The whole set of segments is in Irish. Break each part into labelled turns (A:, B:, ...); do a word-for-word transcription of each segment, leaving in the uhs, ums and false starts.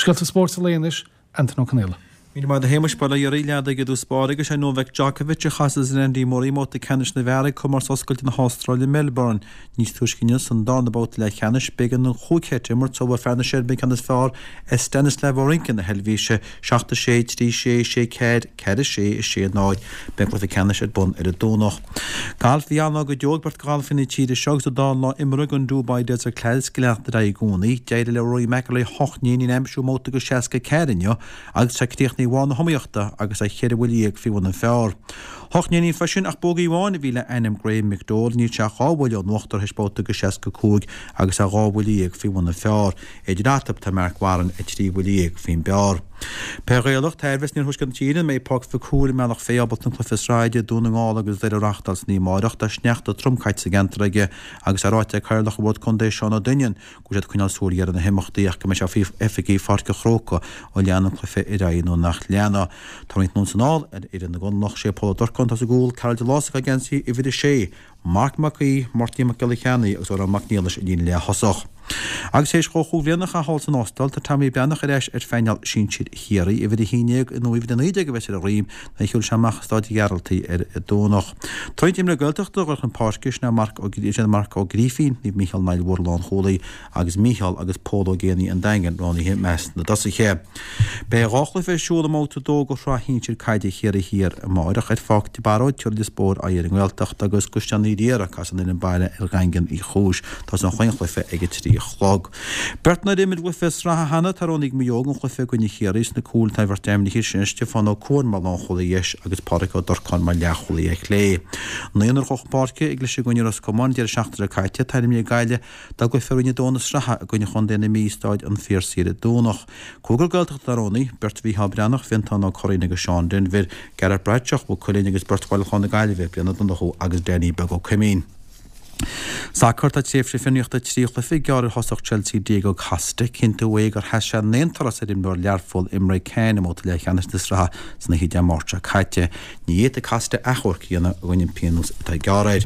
A: Scéalta spóirt an lae anois, Antain Ó Conaola.
B: Míle maith agat a Shéamais, bail ó Dhia oraibh, leath i dtús báire agus sé Novak Djokovic a chasas ar Andy Murray i mbabhta ceannais na bhfear ag Comórtas Oscailte na hAstráile i Melbourne. Níos túisce inniu san darna babhta leathcheannais, b'éigean don chúig sheit a imirt sula bhfuair fear na Seirbia an ceann is fearr ar Stanislas Wawrinka na hEilvéise, seacht a sé, trí sé, sé ceathair, ceathair a sé, a sé náid. Beidh an cluiche ceannais ar bun ar an Domhnach. Galf, bhí an-lá go deo ag beirt de ghalfaithe na tíre seo agus an dá lá imeartha den Dubai Desert Classic ag leanacht ar aghaidh i gcónaí. D'éirigh le Rory McIlroy hocht n-éinín a aimsiú i mbabhta de seasca ceathair inniu agus tá críochnaithe ar bharr na hiomaíochta agus é cheithre bhuille dhéag faoi bhun an phar. Hocht n-éinín freisin ach bógaí amháin a bhí le ainm Graeme McDowell, níl sé ach dhá bhuille ón uachtar théis babhta de seasca cúig agus é dhá bhuille dhéag faoi bhun an phar. Idir eatarthu tá Marc Warren ag trí bhuille dhéag faoin bpar. Peil Ghaelach, tá i bhfios in iarthuaisceart na tíre an mbeidh Páirc Mhic Cumhaill i mBealach Féich ábalta an cluiche sraithe idir Dún na nGall agus Doire a reáchtáil san oíche amárach. Tá sneachta trom caite sa gceantar aige agus é ráite ag Cathaoirleach an Bhord Contae Seán Ó Duinnín go bhfuil siad ag coinneáil súil ghéar ar na himeachtaí ach go mbeidh sé faoi oifigigh Pháirc an Chrócaigh an leanfaidh an cluiche ar aghaidh nó nach leanfaidh. Tá roinnt anonn is anall ar fhoireann na gConallach, sé Pól Ó Durcáin atá sa gcúl, Karl de Lás atá ag geansaí uimhir a sé, Marc Mac Aoidh, Máirtín Mac Giolla Cheannaigh agus Odhrán Mac Niallais i líne leath-thosach. Agus théis dhó chúig bhliana a chaitheamh thall san Astráil, tá Tommy Breathnach ar ais ar phainéal sinsir Chiarraí. Uimhir a haon déag nó uimhir a naoi déag a bheas ar a dhroim nuair a shiúlfaidh sé amach i Staid Ghearaltaigh ar an Domhnach. Tá roinnt imreoirí Gaeltachta ag dul chun páirce, sin é Marc Ó sin é Marc Ó Grífín, Naomh Mícheál an Aill Mhór lánchúlaí, agus Mícheál agus Pól Ó Géibheannaigh an Daingin roghnaithe i measc na dtosaithe. Beidh dhá chluiche ar siúl i mbabhta a dó de shraith shinsir caide Chiarraí Thiar amárach ar Pháirc de Barróid, tabharfaidh Lios Póil aghaidh ar an nGaeltacht agus i gCaisleán Uí Riada, casfaidh an fhoireann baile ar Dhaingean Uí Chúis. Tosóidh an chaon chluiche ag a trí a chlog. Beirt nár imir i gcluiche sraithe cheana, tá roghnaithe ag Maigh Eo don chluiche i gcoinne Chiarraí. Sna cúil tá an bheirt ainmnithe sin, Stiofán Ó Cuain mar lánchúlaí dheis agus Pádraic Ó Durcáin mar leathchúlaí ar chlé. Naonúr a chuaigh chun páirce i gcluiche i gcoinne Ros Comáin an deireadh seachtaine seo caite, tá ainmnithe ag Gaillimh dá gcluiche i Roinn a dó na sraithe i gcoinne Chontae na Mí i Stáid an Phiarsaigh ar an Domhnach. Cúigear Gaeltachta atá roghnaithe, beirt Mhícheál Breathnach, Fionntán Ó Curraoin agus Seán Denvir, Gareth Bradshaw, Maigh Cuilinn agus beirt Bhaile Chláir na Gaillimhe, Brian Ó Donnchú agus Danny Beag Ó Coimín. Sacar, Tá tréimhse fionraíochta trí chluiche gearrtha ar thosach Chelsea Diego Costa. Ciontaíodh é gur sheas sé in aon turas ar imreoir Learpholl Emre Can i mbabhta leathcheannais na sraithe san oíche Dé Máirt seo caite. Ní fhéadfaidh Costa achomharc a dhéanamh i gcoinne an phionóis atá gearrtha air.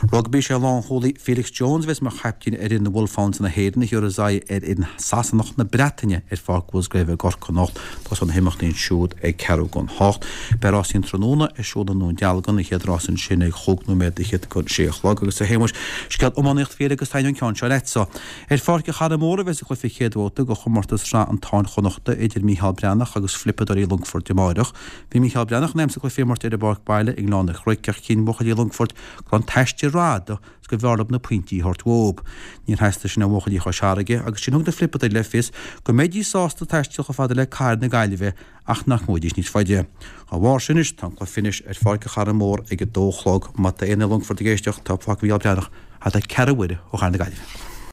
B: Rugbaí, Sé lánchúlaí Felix Jones a bheas mar chaiptín ar fhoireann na Wolfhounds na hÉireann a thiúrfas aghaidh ar fhoireann Sasanach na Breataine ar Pháirc Mhusgrave i gCorcaigh anocht. Tosóidh na himeachtaí ansiúd ag ceathrú don hocht. Beidh rásaí an tráthnóna ar siúl i nDún Dealgan, an chéad rás ansin ag chúig nóiméad fhichead go sé a chlog agus a Shéamuis, scéal iománaíocht fial agus taitneamh an ceann seo leatsa. Ar Pháirc an Charraig Mhór a bheas an cluiche chéad bhabhta de chomórtas Shraith an Táin Chonnachta idir Mícheál Breathnach agus Flipeadóirí Longfoirt amáireach. Bhí Mícheál Breathnach in ainm is an cluiche a imirt ar an bpáirc baile i nGleann an Chnoic ach chinn buachaillí Longfoirt go raibh an t-aistear rófhada is go mb'fhearr leo na pointí a thabhairt uathu. Níor theastaigh sin ó bhuachaillí Chois Fharraige agus ansin thug na Flipeadóirí le fios go mbeidís sásta taisteal chomh fada le cathair na Gaillimhe ach nach ngabhfaidís níos faide. Dá bharr sin anois, tá an cluiche anois ar Pháirc an Charraig Mhór ag a dó a chlog. Má tá éinne i Longfort ag éisteacht, tá Páirc Mhícheál Breathnach thart ar ceathrú uaire ó chathair na Gaillimhe.